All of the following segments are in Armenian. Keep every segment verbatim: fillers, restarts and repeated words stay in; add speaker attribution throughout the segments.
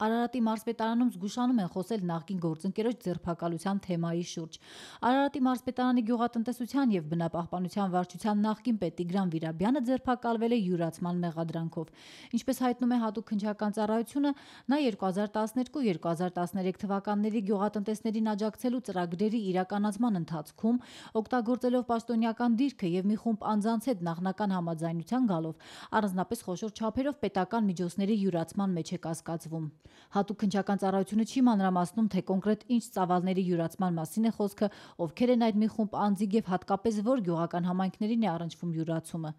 Speaker 1: Արարատի մարզպետարանում զգուշանում են խոսել նախկին գործընկերոջ ձերբակալության թեմայի շուրջ։ Արարատի մարզպետարանի գյուղատնտեսության եւ բնապահպանության վարչության նախկին պետ Տիգրան Վիրաբյանը ձերբակալվել է յուրացման մեղադրանքով։ Ինչպես հայտնում է Հատուկ քննչական ծառայությունը, նա երկու հազար տասներկու երկու հազար տասներեք թվականների գյուղատնտեսներին աջակցելու ծրագրերի իրականացման ընթացքում օգտագործելով պաշտոնյական դիրքը եւ մի խումբ անձանց հետ նախնական համաձայնության գալով առանձնապես խոշոր չափերով պետական միջոցների յուրացման մեջ է կասկածվում։ Հատուկ քննչական ծառայությունը չի մանրամասնում, թե կոնկրետ ինչ ծավալների յուրացման մասին է խոսքը, ովքեր են այդ մի խումբ անձիկ եւ հատկապես որ գյուղական համայնքներին է առնչվում յուրացումը։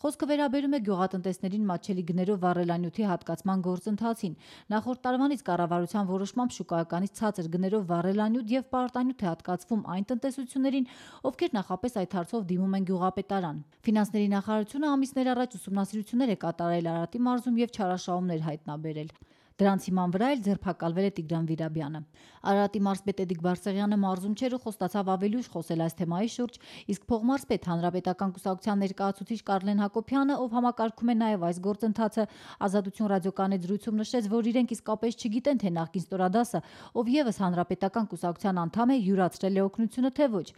Speaker 1: Խոսքը վերաբերում է գյուղատնտեսներին մատչելի գներով վառելանյութի հատկացման գործընթացին։ Նախորդ տարվանից կառավարության որոշմամբ շուկայականից ցածր գներով վառելանյութ եւ պարտանյութ է հատկացվում այն տնտեսություններին, ովքեր նախապես այդ հարցով դիմում են գյուղապետարան։ Ֆինանսների նախարարությունը ամիսներ առաջ ուսումնասիրություններ է կատարել Արարատի մարզում եւ չարաշահումներ հայտնաբերել։ Դրանց հիման վրա էլ ձերբակալվել է Տիգրան Վիրաբյանը։ Արարատի մարզպետ Էդիկ Բարսեղյանը մարզում չէր ու խոստացավ ավելի ուշ խոսել այս թեմայի շուրջ, իսկ փոխմարզպետ Հանրապետական կուսակցության ներկայացուցիչ Կարլեն Հակոբյանը, ով համակարգում է նաև այս գործընթացը, Ազատություն ռադիոկայանի զրույցում նշեց, որ իրենք իսկապես չգիտեն, թե նախկին ստորադասը, ով եւս Հանրապետական կուսակցության անդամ է, յուրացրել է օգնությունը, թե ոչ։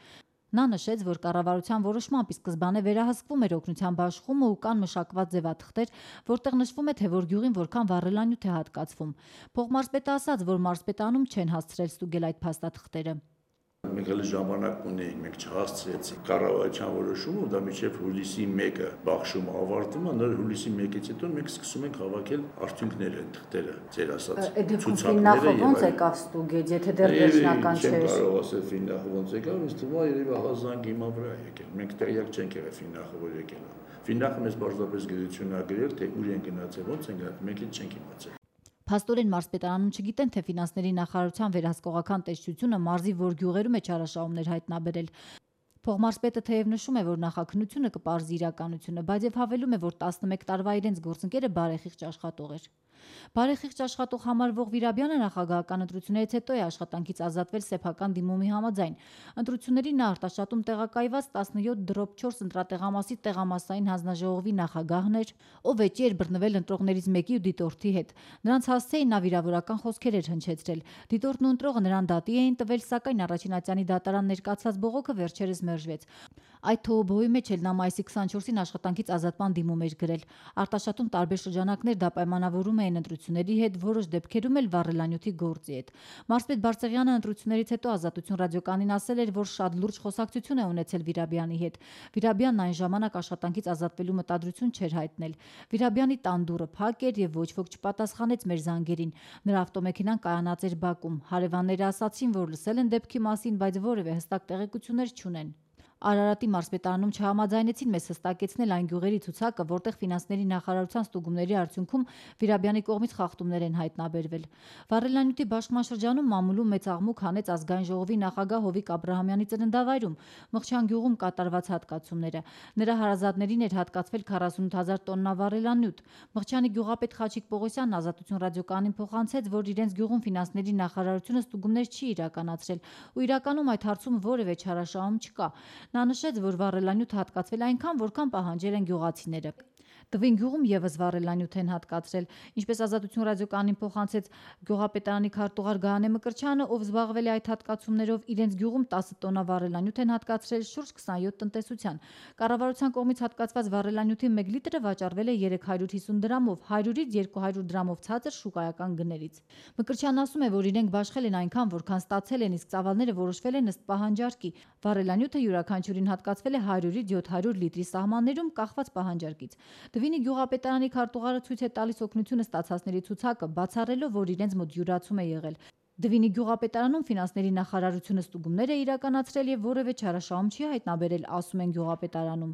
Speaker 1: Նա նշեց, որ կառավարության որոշմամբ ի սկզբանե վերահսկվում էր օգնության բաշխումը ու կան մշակված ձևաթղթեր, որտեղ նշվում է, թե որ գյուղին որքան վառելանյութ է հատկացվում։ Փոխմարզպետը ասաց, որ մարզպետանում չեն հասցրել ստուգել այդ փաստաթղթերը։
Speaker 2: Մենք հենց ժամանակ ունեինք, մենք չհասցրեցինք կառավարության որոշումը, դա մինչև հուլիսի մեկը բաշխումը ավարտվում է, նոր հուլիսի մեկից հետո մենք սկսում ենք հավաքել արդյունքները, թղթերը, ձեր ասած
Speaker 1: ցուցակները։ Ոնց եկավ ստուգել, եթե դեռ վերջնական չէր։
Speaker 2: Չեմ կարող ասել Ֆիննախը ոնց եկավ, ինձ թվում է երևի ահազանգ հիմա վրա եկել։ Մենք տեղյակ չենք եղել Ֆիննախը որ եկել է։ Ֆիննախը մեզ պարզապես գիտություն ա գրել, թե ուր են գնացել, ոնց են գնացել, մենք էլ չենք իմացել։
Speaker 1: Փաստորեն մարզպետարանում չգիտեն, թե ֆինանսների նախարարության վերահսկողական տեսչությունը մարզի որ գյուղերում է չարաշահումներ հայտնաբերել։ Փոխմարզպետը թեև նշում է, որ նախաքննությունը կպարզի իրականությունը, բայց եւ հավելում է, որ տասնմեկ տարվա իրենց գործընկերը բարեխիղճ աշխատող էր։ Բարեխիղճ աշխատող համարվող Վիրաբյանը նախագահական ընտրություններից հետո է աշխատանքից ազատվել սեփական դիմումի համաձայն։ Ընտրություններին նա արտաշատում տեղակայված տասնյոթ դրոպ չորս ընտրատեղամասի տեղամասային հանձնաժողովի նախագահն էր, ով էջի էր բռնվել ընտրողներից մեկի ու դիտորդի հետ։ Նրանց հասցեին նա վիրավորական խոսքեր էր հնչեցրել։ Դիտորդն ու ընտրողը նրան դատի էին տվել, սակայն առաջին ատյանի դատարան ներկացած բողոքը վերջերս մերժվեց։ Այդ թողոբոյի մեջ էլ նա մայիսի քսանչորսին աշխատանքից ազատման դիմում էր գրել։ Արտաշատում տարբեր շրջանակներ դա պայմանավորում էին ընտրությունների հետ, որոշ դեպքերում էլ վառելանյութի գործի հետ։ Մարզպետ Բարսեղյանը ընտրություններից հետո Ազատություն ռադիոկայանին ասել էր, որ շատ լուրջ խոսակցություն է ունեցել Վիրաբյանի հետ։ Վիրաբյանն այն ժամանակ աշխատանքից ազատվելու մտադրություն չէր հայտնել։ Վիրաբյանի տան դուռը փակ էր եւ ոչ ոք չպատասխանեց մեր զանգերին։ Նրա ավտոմեքենան կայանած էր բակում։ Հարևանները ասացին, որ լսել են դեպքի մասին, բայց որևէ հստակ տեղեկություններ չունեն։ Արարատի մարզպետարանում չհամաձայնեցին մեզ հստակեցնել այն գյուղերի ցուցակը, որտեղ ֆինանսների նախարարության ստուգումների արդյունքում Վիրաբյանի կողմից խախտումներ են հայտնաբերվել։ Վառելանյութի բաշխման շրջանում մամուլում մեծ աղմուկ հանեց ազգային ժողովի նախագահ Հովիկ Աբրահամյանի ծննդավայրում Մղչյան գյուղում կատարված հատկացումները։ Նրա հարազատներին էր հատկացվել քառասունութ հազար տոննա վառելանյութ։ Մղչյանի գյուղապետ Խաչիկ Պողոսյանն Ազատություն ռադիոկայանին փոխանցեց, որ իրենց գյուղում ֆինանսների նախարարությունը ստուգումներ չի իրականացրել ու իրականում այդ հարցում որևէ չարաշահում չկա։ Նա նշեց, որ վառելանյութը հատկացվել այնքան, որքան պահանջել են գյուղացիները։ Տվին գյուղում եւս վառելանյութ են հատկացրել, ինչպես Ազատություն ռադիոկայանին փոխանցեց գյուղապետարանի քարտուղար Գահանե Մկրտչյանը, ով զբաղվել է այդ հատկացումներով, իրենց գյուղում տասը տոննա վառելանյութ են հատկացրել շուրջ քսանյոթ տնտեսության։ Կառավարության կողմից հատկացված վառելանյութի մեկ լիտրը վաճառվել է երեք հարյուր հիսուն դրամով, հարյուրից երկու հարյուր դրամով ցածր շուկայական գներից։ Մկրտչյանն ասում է, որ իրենք բաշխել են այնքան, որքան ստացել են, իսկ ծավալները որոշվել են ըստ պահանջարկի։ Վառելանյութը յուրաքանչյուրին հատկացվել է հարյուրից յոթ հարյուր լիտրի սահմաններում կախված պահանջարկից։ Դվինի գյուղապետարանի քարտուղարը ցույց է տալիս օգնությունը ստացածների ցուցակը, բացառելով, որ իրենց մոտ յուրացում է եղել։ Դվինի գյուղապետարանում ֆինանսների նախարարությունը ստուգումներ է իրականացրել եւ որևէ չարաշահում չի հայտնաբերել, ասում են գյուղապետարանում։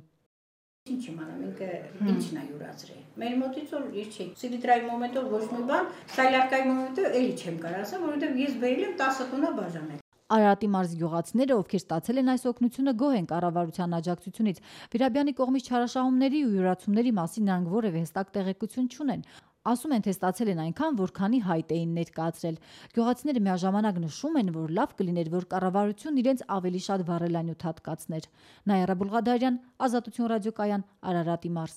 Speaker 3: Ինչ իմանամ, ինքը ինչն է յուրացրել։ Մեր մոտից որ իր չի։ Սիլիտրայի մոմենտով ոչ մի բան, սայլարկայի մոմենտով էլի չեմ կարող ասեմ, որովհետեւ ես բերել եմ տասը տոննա բաժանել։
Speaker 1: Արարատի մարզի գյուղացիները, ովքեր ստացել են այս օգնությունը, գոհ են կառավարության աջակցությունից։ Վիրաբյանի կողմից չարաշահումների ու յուրացումների մասին նրանք որևէ հստակ տեղեկություն չունեն։ Ասում են, թե ստացել են այնքան, որքանի հայտ էին ներկայացրել։ Գյուղացիները միաժամանակ նշում են, որ լավ կլիներ, որ կառավարությունն իրենց ավելի շատ վառելանյութ հատկացներ։ Նայարա Բուլղադարյան, Ազատություն ռադիոկայան, Արարատի մարզ։